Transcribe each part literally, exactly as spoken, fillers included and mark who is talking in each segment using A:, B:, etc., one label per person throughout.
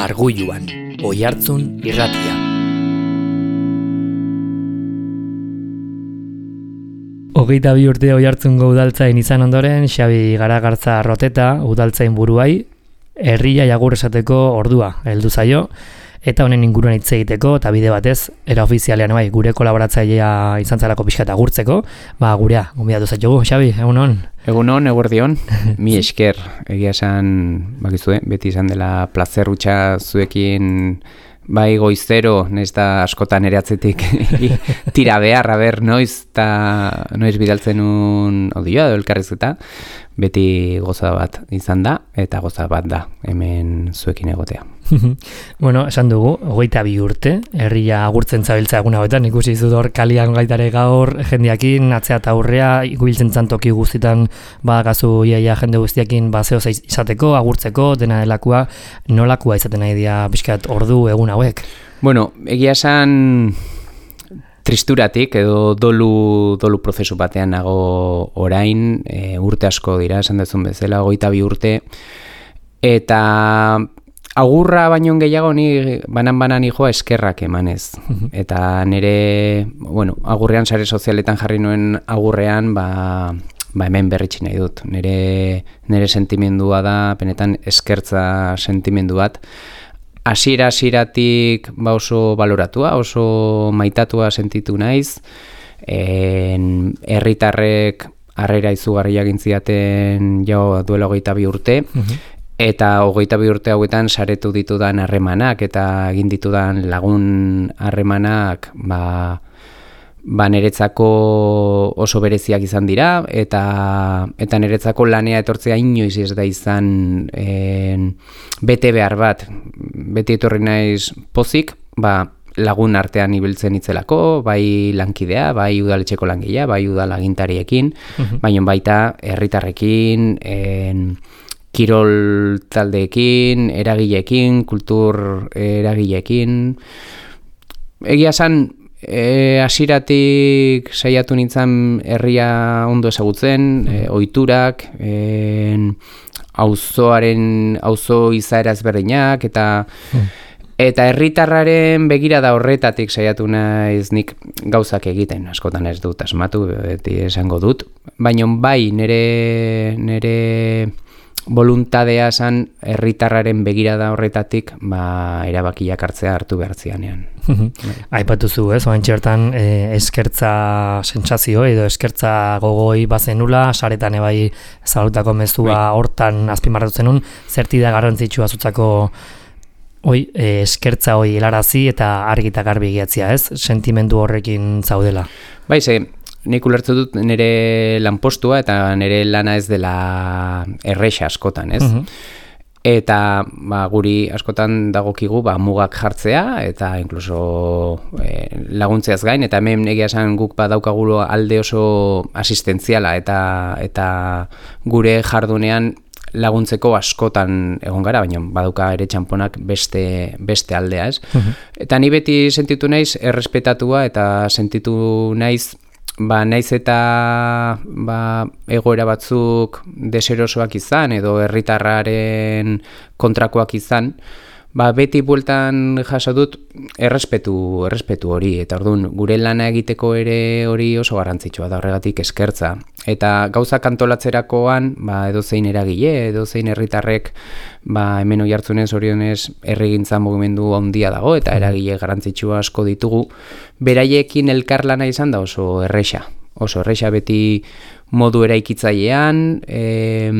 A: Arguluan, Oihartzun irratia. Hogeita bi urte Oihartzungo udaltzain izan ondoren, Xabi Garagartza Roteta udaltzain buruai, herria jagur esateko ordua heldu zaio, eta honen inguruan hitz egiteko, eta bide batez, era ofizialean bai, gure kolaboratzailea izan zalako pixka eta gurtzeko, ba gurea, gonbidatu zaitugu, Xabi, egun hon?
B: Egun hon, eguerdion, mi esker, egia esan, bakizue, beti izan dela plazer hutsa zuekin, bai goizero, nez da askotan ere atzetik tira behar, aber, noiz, eta noiz bidaltzen un audioa edo elkarrizketa, beti goza bat izan da, eta goza bat da, hemen zuekin egotea.
A: Bueno, esan dugu, hogeita bi urte, herria agurtzen zabiltza egun hauetan, ikusi zut hor kalian gaitare gaur, jendeakin, atzea eta aurrea, ikubiltzen zantoki guztitan, badakazu iaia jende guztiakin bazeo izateko, agurtzeko, dena delakua, nolakua izaten nahi dia pixkat ordu egun hauek?
B: Bueno, egia esan tristuratik edo dolu, dolu prozesu batean nago orain, e, urte asko dira, esan dezun bezala, hogeita bi urte, eta agurra baino gehiago ni banan-banan joa eskerrak emanez. Eta nire, bueno, agurrean sare sozialetan jarri nuen agurrean, ba, ba hemen berritsi nahi dut. Nire, nire sentimendua da, benetan eskertza sentimendu bat. Hasiera hasieratik ba oso baloratua, oso maitatua sentitu naiz. En, herritarrek harrera izugarria egin zidaten jau duela hogeita bi urte. Eta hogeita bi urte hauetan saretu ditudan harremanak eta egin ditudan lagun harremanak ba, ba niretzako oso bereziak izan dira eta eta niretzako lanea etortzea inoiz ez da izan en, bete behar bat. Beti etorri naiz pozik, ba, lagun artean ibiltzen itzelako, bai lankidea, bai udaletxeko langilea, bai udalagintariekin, uh-huh. baina baita herritarrekin, en, kirol taldeekin, eragileekin, kultur eragileekin. Egia esan, e, hasieratik saiatu nintzen herria ondo ezagutzen, e, ohiturak, e, auzoaren, auzo izaera ezberdinak, eta eta herritarraren begirada horretatik saiatu naiz nik gauzak egiten, askotan ez dut asmatu, beti esango dut, baina bai nire nire voluntadea esan herritarraren begirada horretatik ba, erabakiak hartzea hartu behar zianean.
A: Aipatu zu, ez? Oain txertan eh, eskertza sentsazio edo eskertza gogoi bazenula, saretan ebai zalutako mezua hortan azpimarratu zenun, zerti da garrantzitsua zutzako oi, eh, eskertza hoi helarazi eta argi eta garbi egiatzea, ez? Sentimendu horrekin zaudela.
B: Bai, ze, nik ulertu dut nire lanpostua eta nire lana ez dela erresa askotan, ez? Uh-huh. Eta ba, guri askotan dagokigu ba, mugak jartzea eta inkluso e, laguntzeaz gain, eta hemen egia esan guk badaukagu alde oso asistentziala eta, eta gure jardunean laguntzeko askotan egon gara, baina badauka ere txamponak beste, beste aldea, ez? Uh-huh. Eta ni beti sentitu naiz errespetatua eta sentitu naiz ba naiz eta ba, egoera batzuk deserosoak izan edo herritarraren kontrakoak izan, ba beti bueltan jaso dut errespetu, errespetu hori, eta orduan gure lana egiteko ere hori oso garrantzitsua da, horregatik eskertza. Eta gauzak antolatzerakoan, ba edozein eragile, edozein herritarrek, ba hemen Oihartzunez orionez herrigintza mugimendu handia dago eta eragile garrantzitsua asko ditugu. Beraiekin elkarlana izan da oso erresa. Oso erresa beti modu eraikitzailean, e,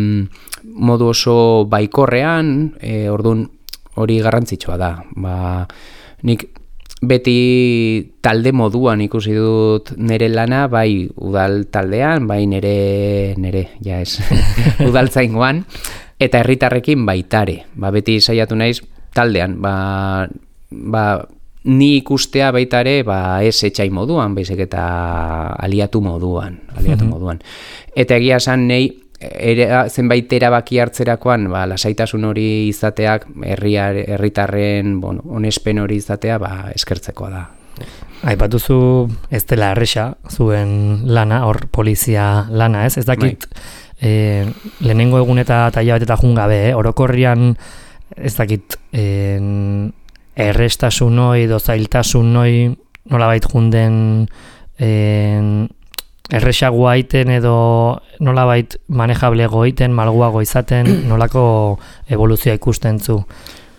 B: modu oso baikorrean, e, orduan hori garrantzitsua da. Ba, nik beti talde moduan ikusi dut nire lana, bai udal taldean, bai nire, nire, ja ez, udaltzaingoan, eta herritarrekin baitare. Ba, beti saiatu naiz taldean, ba, ba, ni ikustea baitare, ba, ez etxai moduan, baizik eta aliatu moduan, aliatu mm-hmm. moduan. Eta egia esan nahi, Era, zenbait erabaki hartzerakoan ba, lasaitasun hori izateak herriar, herritarren bueno, onespen hori izatea ba, eskertzekoa da.
A: Aipatuzu ez dela erresa zuen lana, hor polizia lana, ez? Ez dakit e, lehenengo egun eta taila bat eta jungabe, eh? Orokorrian ez dakit, en, errestasun hoi, dozailtasun hoi, nolabait junden en, erresagoa iten edo nolabait manejablego iten, malguago izaten, nolako evoluzioa ikusten zu?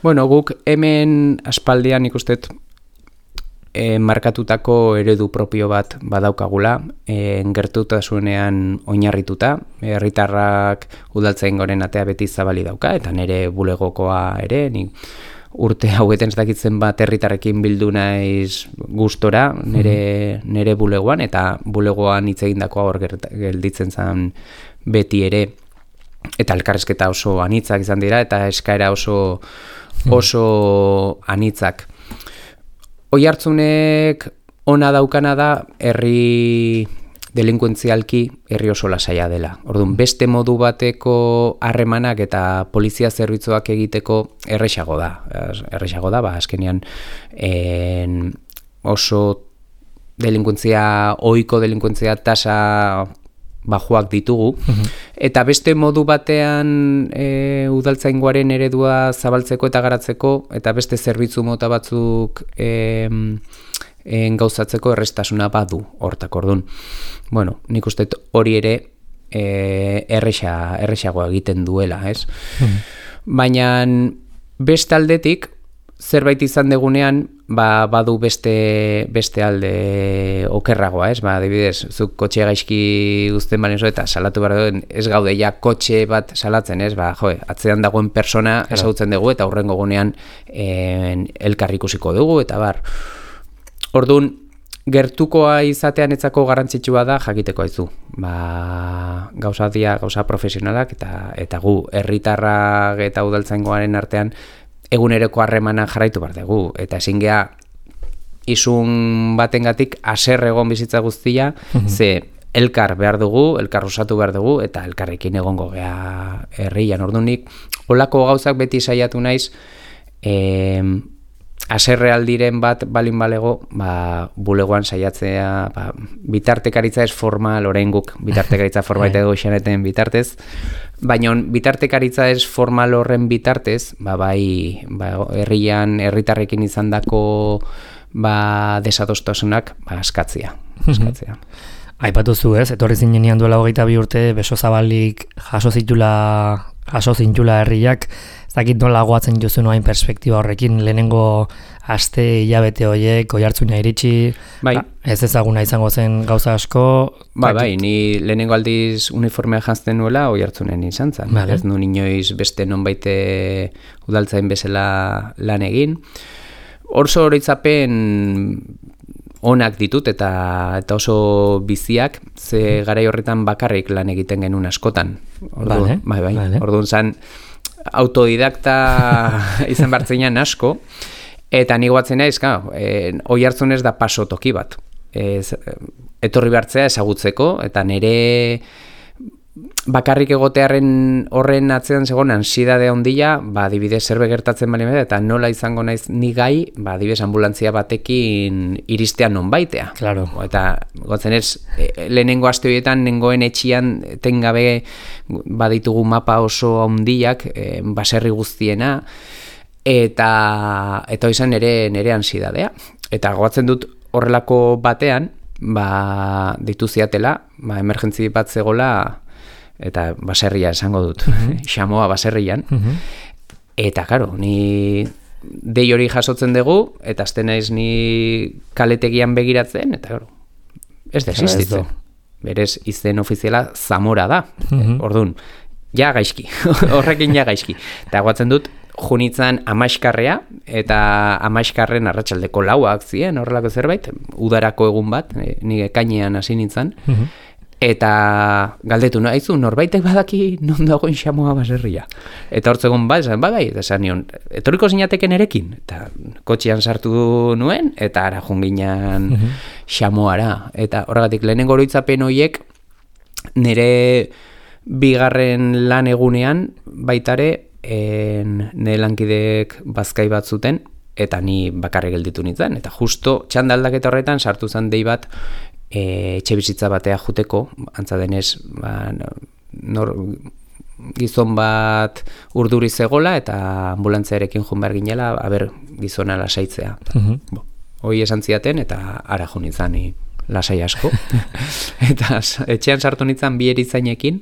B: Bueno, guk hemen aspaldian ikustet e, markatutako eredu propio bat badaukagula, e, gertutasunean oinarrituta, herritarrak udaltzain goren atea beti zabali dauka, eta nire bulegokoa ere, nik urte hauetan ez dakitzen bat herritarrekin bildu naiz gustora nire, nire bulegoan, eta bulegoan hitz egindakoa hor gelditzen zen beti ere, eta elkarrizketa oso anitzak izan dira, eta eskaera oso, oso anitzak. Oihartzunek ona daukana da herri delinkuentzialki herri oso lasaia dela. Orduan, beste modu bateko harremanak eta polizia zerbitzuak egiteko erresago da. Erresago da, ba, azkenean en, oso delinkuentzia, ohiko delinkuentzia tasa bajuak ditugu, eta beste modu batean e, udaltzaingoaren eredua zabaltzeko eta garatzeko, eta beste zerbitzu mota batzuk e, en gauzatzeko errestasuna badu hortak. Orduan. Bueno, nik uste hori ere e, erresa, erresagoa egiten duela, ez? Mm. Baina beste aldetik, zerbait izan degunean, ba, badu beste, beste alde okerragoa, ez? Ba, adibidez, zuk kotxe gaizki uzten balen zo, eta salatu behar duen, ez gaude ja kotxe bat salatzen, ez? Ba, jo, atzean dagoen persona ezagutzen dugu, eta hurrengo gunean en, elkar ikusiko dugu, eta bar. Orduan, gertukoa izatean etzako garrantzitsua da jakiteko aizu. Ba, gauza dia, gauza profesionalak, eta, eta gu, herritarrak eta udaltzaingoaren artean, eguneroko harremana jarraitu behar dugu, eta ezin gea izun batengatik haser egon bizitza guztia, mm-hmm. ze elkar behar dugu, elkar osatu behar dugu, eta elkarrekin egongo gea herrian. Ordunik, holako gauzak beti saiatu naiz, eh, haserre aldiren bat balin balego, ba, bulegoan saiatzea, ba, bitartekaritza ez formal, orain guk bitartekaritza formal eta goxaneten bitartez, baina bitartekaritza ez formal horren bitartez, ba, bai, ba, herrian, herritarrekin izandako ba, desadostasunak ba, askatzea. askatzea.
A: Aipatu zu ez, etorri zinenean duela hogeita bi urte, beso zabalik jaso zitula, jaso zintula herriak, ez dakit nola goatzen jozu noain perspektiba horrekin, lehenengo aste hilabete horiek, oihartzuna iritsi,
B: bai.
A: Ez ezaguna izango zen gauza asko.
B: Ba, bai, ni lehenengo aldiz uniformea jantzten nuela oihartzunen izan zen. Vale. Ez nu inoiz beste nonbaite udaltzain bezala lan egin. Orso oroitzapen onak ditut eta eta oso biziak, ze garai horretan bakarrik lan egiten genuen askotan. Ordu, vale, bai, bai. Vale. Orduan zan autodidakta izan bartzenean asko, eta ni goatzen naiz, claro, eh, oihartzun ez da paso toki bat. Ez, etorri behartzea ezagutzeko, eta nire bakarrik egotearen horren atzean zegoen ansiedade handia, ba, adibidez zerbe gertatzen bali bada, eta nola izango naiz ni gai, ba, adibidez ambulantzia batekin iristea nonbaitea.
A: Claro.
B: Eta gotzen ez, e, lehenengo aste horietan, nengoen etxian, tengabe baditugu mapa oso handiak, e, baserri guztiena, eta eta izan nire, nire ansiedadea. Eta goatzen dut horrelako batean, ba, ditu ziatela, ba, emergentzi bat zegola, eta baserria esango dut, mm-hmm. xamoa baserrian, mm-hmm. eta karo, ni dei hori jasotzen dugu, eta azten naiz ni kaletegian begiratzen, eta karo, ez da existitzen. Berez, izen ofiziala Zamora da, mm-hmm. orduan, ja gaizki, horrekin ja gaizki. Eta guatzen dut, junitzan amaiskarrea, eta amaiskarren arratsaldeko lauak ziren, horrelako zerbait, udarako egun bat, ni ekainean hasi nintzen, mm-hmm. eta galdetu nahizu, norbaitek badaki non dagoen xamoa baserria. Eta hortzegon bat, esan, ba, bai, eta esan nion, etorriko zinateken erekin, eta kotxean sartu nuen, eta ara junginan mm-hmm. xamoara. Eta horregatik, lehenengo oroitzapen horiek, nire bigarren lan egunean, baitare, en, nire lankidek bazkai bat zuten, eta ni bakarrik gelditu nintzen. Eta justo txandaldaketa horretan sartu zen dei bat, E, etxe bizitza batea juteko, antza denez, ba, nor, gizon bat urduri zegola eta ambulantziarekin joan behar ginela, aber gizona lasaitzea.
A: Mhm.
B: Bo, hoi esan ziaten eta ara jo nintzen lasai asko. Eta etxean sartu nintzen bi erizainekin,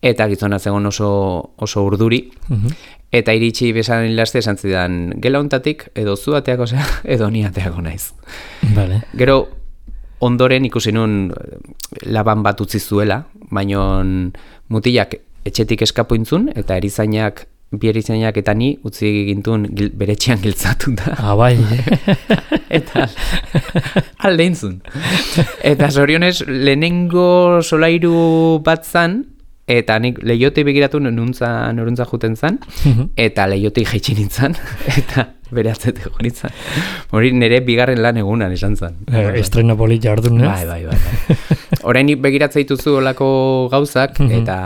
B: eta gizona zegoen oso, oso urduri.
A: Mhm.
B: Eta iritsi besan hilaste esan zidan, gela hontatik edo zu ateako zea, edo ni ateako naiz.
A: Vale.
B: Gero, ondoren ikusi nun laban bat utzi zuela, baina mutilak etxetik eskapuintzun, eta erizainak, bi erizainak eta ni utzi gintun gil, bere etxean giltzatu da.
A: Ah, bai.
B: Eta alde intzun. Eta zorionez, lehenengo solairu bat zan, eta nik lehiotei begiratu nuntza, noruntza juten zan, eta lehiotei jaitsi nintzen, eta bere atzetik jo nintzen. Hori nire bigarren lan egunan esan zan.
A: Eh, estreno polita orduan, ez?
B: Bai, bai, bai. bai. Orain nik begiratzea dituzu olako gauzak, eta,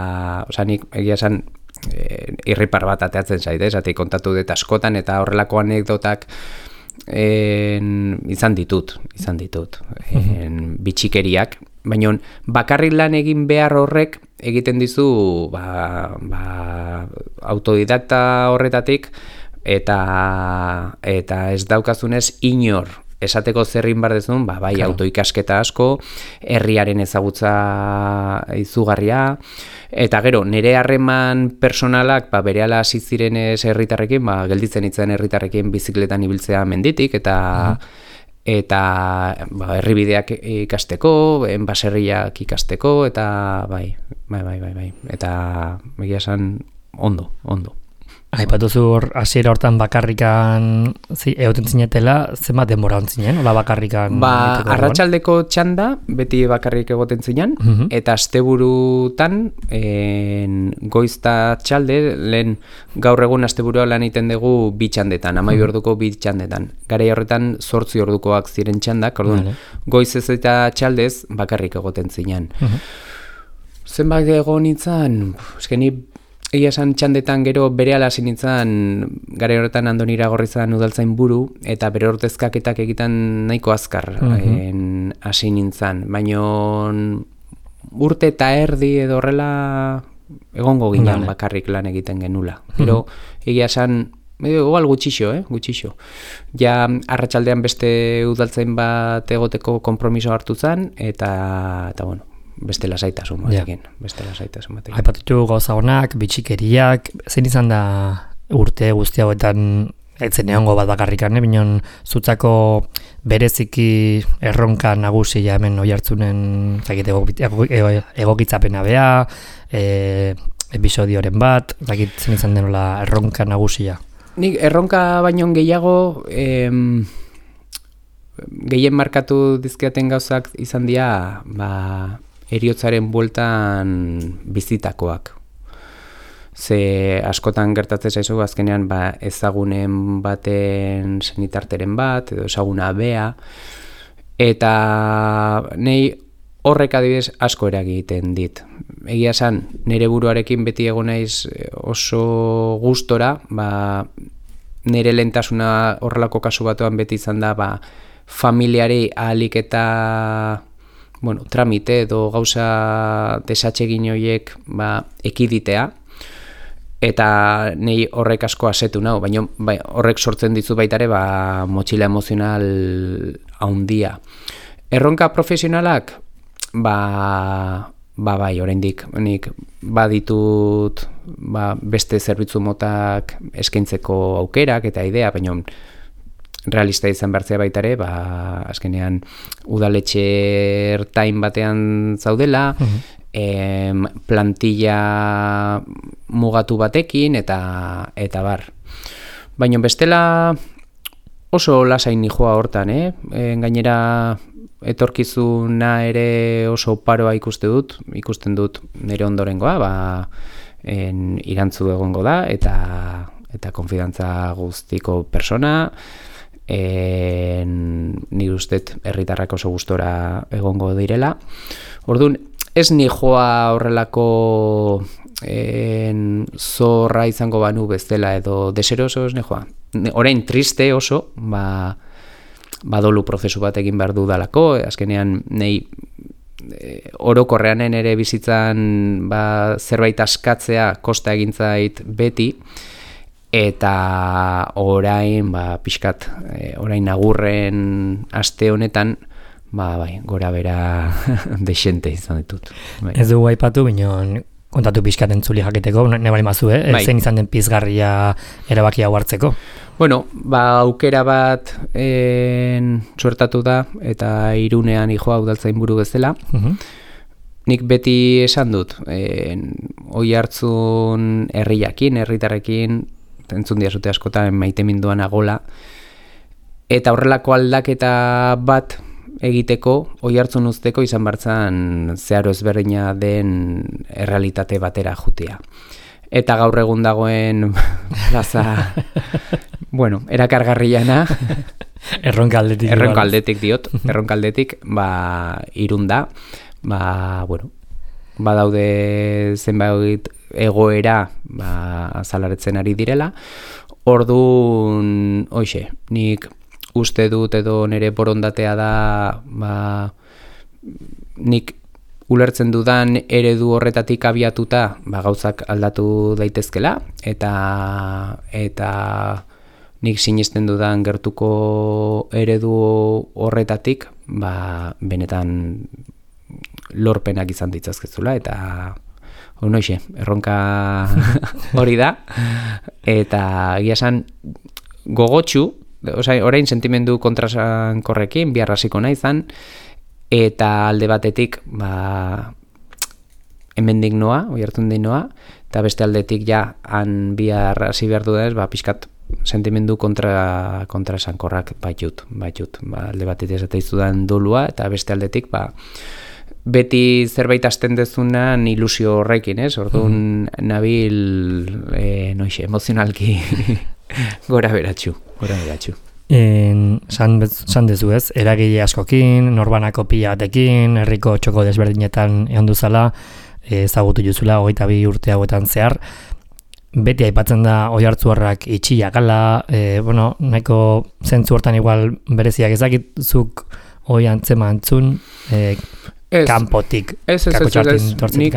B: oza, nik egia esan, e, irripar bat ateatzen zait, ez? Ati kontatu dut askotan, eta horrelako anekdotak en, izan ditut, izan ditut, en, bitxikeriak, baina bakarrik lan egin behar horrek egiten dizu ba, ba, autodidakta horretatik eta eta ez daukazunez inor esateko zerrin bar dezun, ba, bai claro. Autoikasketa asko, herriaren ezagutza izugarria, eta gero, nire harreman personalak ba, berehala hasi zirenez herritarrekin, ba, gelditzen itzen herritarrekin bizikletan ibiltzea menditik, eta mm. eta ba, herribideak ikasteko, baserriak ikasteko, eta bai, bai, bai, bai, bai. Eta egia esan ondo, ondo.
A: Aipatuzu hor, hasiera hortan bakarrikan zi, egoten zinetela, zenbat denbora ontzinen, hola bakarrikan?
B: Ba, arratsaldeko txanda, beti bakarrik egoten zinen, uh-huh. eta asteburutan, en, goizta txalde, lehen gaur egun asteburua lan egiten dugu bi txandetan, amai uh-huh. orduko bi txandetan. Garai horretan zortzi ordukoak ziren txandak, orduan, uh-huh. goizez eta txaldez bakarrik egoten zinen. Uh-huh. Zenbat egon nintzen, eskeni, egia esan txandetan gero berehala hasi nintzen garai horretan Andonira Gorrizan udaltzain buru eta bere ordezkaketak egiten nahiko azkar mm-hmm. hasi nintzen, baina urte eta erdi edo horrela egongo ginen vale. Bakarrik lan egiten genula. Pero mm-hmm. egia esan igual gutxixo, eh, gutxixo. Ja arratsaldean beste udaltzain bat egoteko konpromiso hartu zen eta eta bueno, beste lasaitasun batekin, yeah. beste lasaitasun batekin.
A: Aipatutu gauza honak, bitxikeriak, zein izan da urte guzti hauetan etzen egongo bat bakarrikan, binon zutzako bereziki erronka nagusia hemen oihartzunen egokitzapena bea, e, episodioren bat, zakit zen izan denola erronka nagusia.
B: Nik erronka baino gehiago em, gehien markatu dizkiaten gauzak izan dira, ba, eriotzaren bueltan bizitakoak. Ze askotan gertatzen zaizu azkenean ba, ezagunen baten senitarteren bat, edo ezaguna bea, eta nei horrek adibidez asko eragiten dit. Egia esan, nire buruarekin beti egon naiz oso gustora, ba, nire lehentasuna horrelako kasu batuan beti izan da, ba, familiari ahalik eta bueno, tramite edo gauza desatsegin horiek ba, ekiditea, eta nei horrek asko asetu nau, baina bai, horrek sortzen dizu baitare ba, motxila emozional haundia. Erronka profesionalak, ba, ba bai, oraindik nik baditut ba, beste zerbitzu motak eskaintzeko aukerak eta idea, baina realista izan bertzea baitare, ba, azkenean udaletxe ertain batean zaudela, uh-huh. em, plantilla mugatu batekin, eta eta bar. Baina bestela oso lasain nijoa hortan, eh? E, gainera etorkizuna ere oso paroa ikuste dut, ikusten dut nire ondorengoa, ba, en, irantzu egongo da, eta, eta konfidantza guztiko persona, En, ni ustet herritarrak oso gustora egongo direla. Orduan, ez ni joa horrelako en, zorra izango banu bezala edo deseroso ez ni joa. Orain triste oso, ba, badolu prozesu bat egin behar dudalako, azkenean nei e, orokorreanen ere bizitzan ba, zerbait askatzea kosta egintzait beti, eta orain, ba, pixkat, e, orain agurren aste honetan, ba, bai, gora bera desente izan ditut. Bai.
A: Ez dugu aipatu, binon, kontatu pixkat entzuli jakiteko, ne bali mazu, eh? Bai. Zein izan den pizgarria erabaki hau hartzeko?
B: Bueno, ba, aukera bat en, suertatu da, eta Irunean ijoa udaltzain buru bezala. Uh-huh. Nik beti esan dut, en, oi hartzun herriakin, herritarrekin, entzun diazute askotan maite minduan agola, eta horrelako aldaketa bat egiteko, oi hartzun uzteko izan bartzan zeharo ezberdina den errealitate batera jutea. Eta gaur egun dagoen plaza, bueno, erakargarriana,
A: erronkaldetik,
B: erronkaldetik diot, erronkaldetik, ba, Irun da, ba, bueno, badaude zenbait egoera ba, azalaretzen ari direla. Orduan, hoxe, nik uste dut edo nire borondatea da, ba, nik ulertzen dudan eredu horretatik abiatuta ba, gauzak aldatu daitezkela, eta eta nik sinesten dudan gertuko eredu horretatik ba, benetan lorpenak izan ditzazkezula, eta honoixe, erronka hori da, eta egia esan gogotsu, osea, orain sentimendu kontrasankorrekin, bihar hasiko naizan, eta alde batetik, ba, hemendik noa, oihartzun din noa, eta beste aldetik ja, han bihar hasi behar du da ez, ba, pixkat sentimendu kontra, kontrasankorrak baitut, baitut, ba, alde batetik esateizudan dolua, eta beste aldetik, ba, beti zerbait hasten dezunan ilusio horrekin, ez? Orduan mm. nabil, e, noixe, emozionalki gora beratxu, gora beratxu.
A: En, san, san dezu ez, eragile askokin, norbanako pila batekin, herriko txoko desberdinetan egon duzala, ezagutu juzula, hogeita bi urte hauetan zehar, beti aipatzen da oihartzuarrak itxia gala, e, bueno, nahiko zentzu hortan igual bereziak ezakitzuk hoi antzema antzun, e, Ez, kanpotik,
B: ez, ez, ez, ez, nik,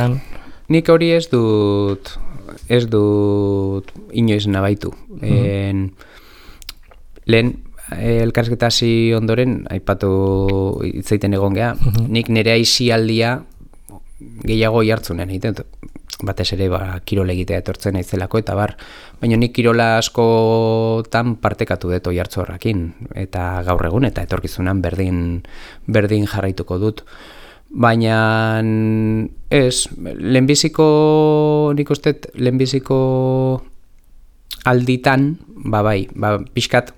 B: nik hori ez dut, ez dut inoiz nabaitu. Mm-hmm. En, lehen, elkarrizketa hasi ondoren, aipatu hitzaiten egon geha, mm-hmm. nik nire aisialdia gehiago jartzunen, egiten, batez ere ba, kirol egitea etortzen naizelako, eta bar, baina nik kirola askotan partekatu dut oihartzu horrekin, eta gaur egun, eta etorkizunan berdin, berdin jarraituko dut. Baina ez, lehenbiziko, nik uste, lehenbiziko alditan, ba bai, ba, pixkat,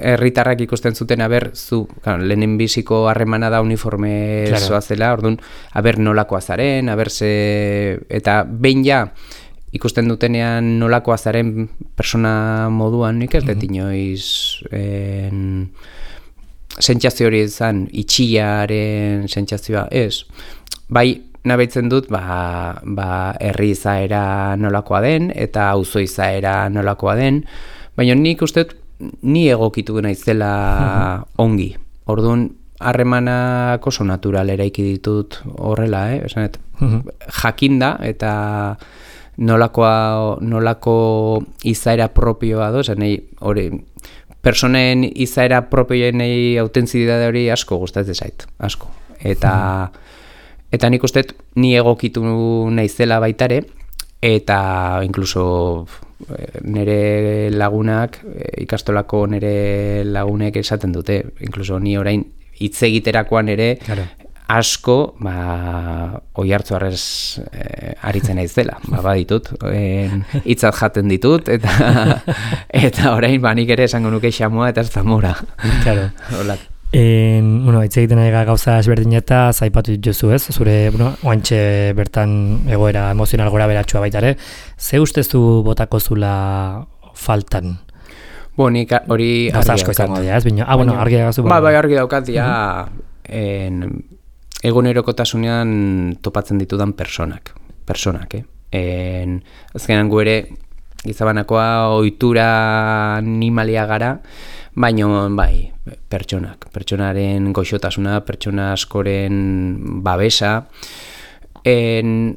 B: herritarrak ikusten zuten, aber, zu, claro, lehenbiziko harremana da uniforme claro. Zoazela, orduan, aber nolakoa zaren, aber ze, eta behin ja, ikusten dutenean nolakoa zaren persona moduan, nik ez dut inoiz, en, sentsazio hori izan, itxiaren sentsazioa, ez. Bai, nabaitzen dut, ba, ba, herri izaera nolakoa den, eta auzo izaera nolakoa den, baina nik uste dut, ni egokitu naizela ongi. Orduan, harremanak oso natural eraiki ditut horrela, eh? Esanet, jakinda, eta nolakoa, nolako izaera propioa do, esan nahi, hori, personen izaera propioenei autentzitate hori asko gustatzen zait, asko. Eta mm. eta nik uste ni egokitu naizela baitare, eta inkluso nire lagunak, ikastolako nire lagunek esaten dute, inkluso ni orain hitz egiterakoan ere claro. Asko, ba, oihartzuarrez eh, aritzen naiz dela, ba, baditut, hitzat jaten ditut, eta eta orain ba, nik ere esango nuke xamua eta zamora. Claro.
A: En, bueno, hitz egiten ari gauza ezberdineta, zaipatu dituzu ez, zure, bueno, oantxe bertan egoera emozional gora beratxua baita ere, ze ustezu botako zula faltan?
B: Bo, nik hori
A: argi asko izango dira, ez, bino? Ah, bueno, argi daukazu.
B: Ba, bai, argi daukat, ja, en, egunerokotasunean topatzen ditudan personak, personak, eh? En, azkenan gu ere, gizabanakoa ohitura animalia gara, baino bai, pertsonak, pertsonaren goxotasuna, pertsona askoren babesa, en,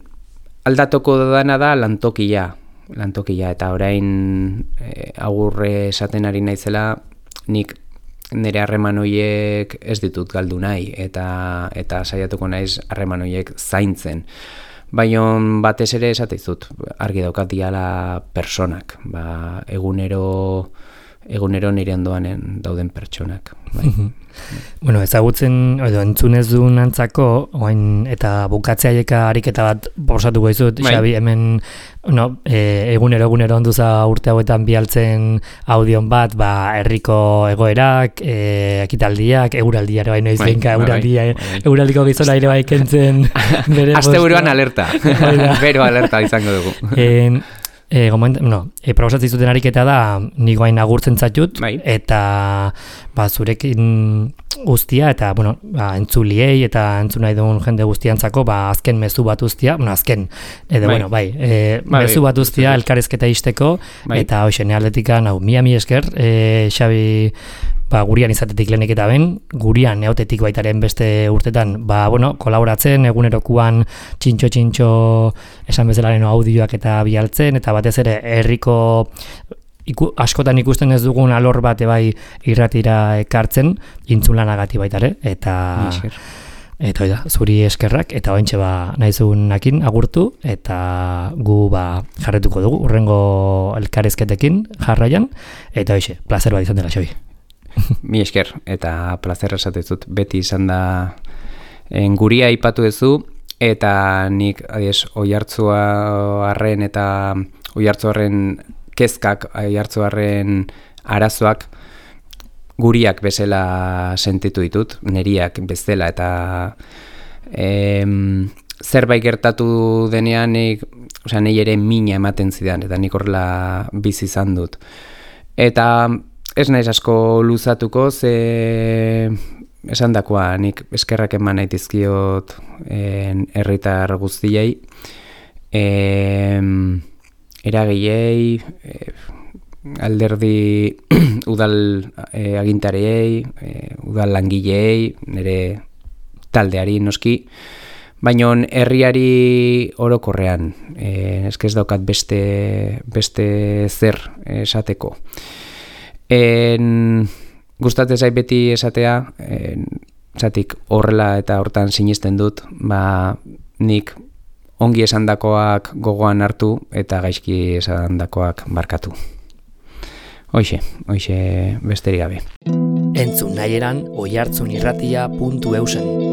B: aldatoko dana da lantokia, lantokia, eta orain e, agurre esaten ari naizela, nik nire harreman horiek ez ditut galdu nahi, eta, eta saiatuko naiz harreman horiek zaintzen. Baina batez ere esateizut, argi daukat diala personak, ba, egunero, egunero nire ondoan dauden pertsonak. Bai.
A: Bueno, ezagutzen, edo entzunez duen antzako, oain, eta bukatzea ariketa bat borosatuko izut, bai. Xabi, hemen, no, e, egunero egunero onduza urte hauetan bialtzen audion bat, ba, herriko egoerak, e, ekitaldiak, euraldia ere bai noiz bai, benka, euraldia, bai, bai. Euraldiko gizona ere bai kentzen.
B: Aste buruan alerta, bero alerta izango dugu.
A: En, E, goment, no, e, probasatzen zuten ariketa da nik guain agurtzen zatut, bai. Eta ba, zurekin guztia, eta bueno, ba, entzuliei eta entzun nahi dugun jende guztiantzako ba, azken mezu bat guztia, bueno, azken, edo bai. Bueno, bai, e, bai, mezu bat guztia elkarrezketa isteko, bai. Eta hoxe, nealdetikan, hau, mia mi esker, e, Xabi, ba, gurian izatetik lehenik eta ben, gurian neotetik baitaren beste urtetan, ba, bueno, kolaboratzen, egunerokuan txintxo-txintxo esan bezalaren audioak eta bialtzen, eta batez ere herriko iku, askotan ikusten ez dugun alor bate bai irratira ekartzen, intzulanagati baitare, eta... Eta oida, zuri eskerrak, eta ointxe ba nahizunakin agurtu, eta gu ba jarretuko dugu, urrengo elkarrizketekin jarraian, eta oixe, plazer bat izan dela, Xabi.
B: Mi esker, eta plazer esatezut, beti izan da en, guria aipatu duzu, eta nik adiez, oihartzuarren eta oihartzuarren kezkak, oihartzuarren arazoak guriak bezala sentitu ditut, neriak bezala, eta em, zerbait gertatu denean nik, osea, nei ere mina ematen zidan, eta nik horrela bizi izan dut. Eta ez naiz asko luzatuko, ze esandakoa nik eskerrak eman nahi dizkiot herritar guztiei, em, eragileei, e, alderdi udal e, agintarei, e, udal langileei, nire taldeari noski, baina herriari orokorrean, e, eske ez daukat beste, beste zer esateko. En, gustatzen zait beti esatea, en, zatik horrela eta hortan sinisten dut, ba, nik ongi esandakoak gogoan hartu eta gaizki esandakoak barkatu. Hoixe, hoixe besterik gabe.
A: Entzun nahieran oihartzunirratia puntu eusen.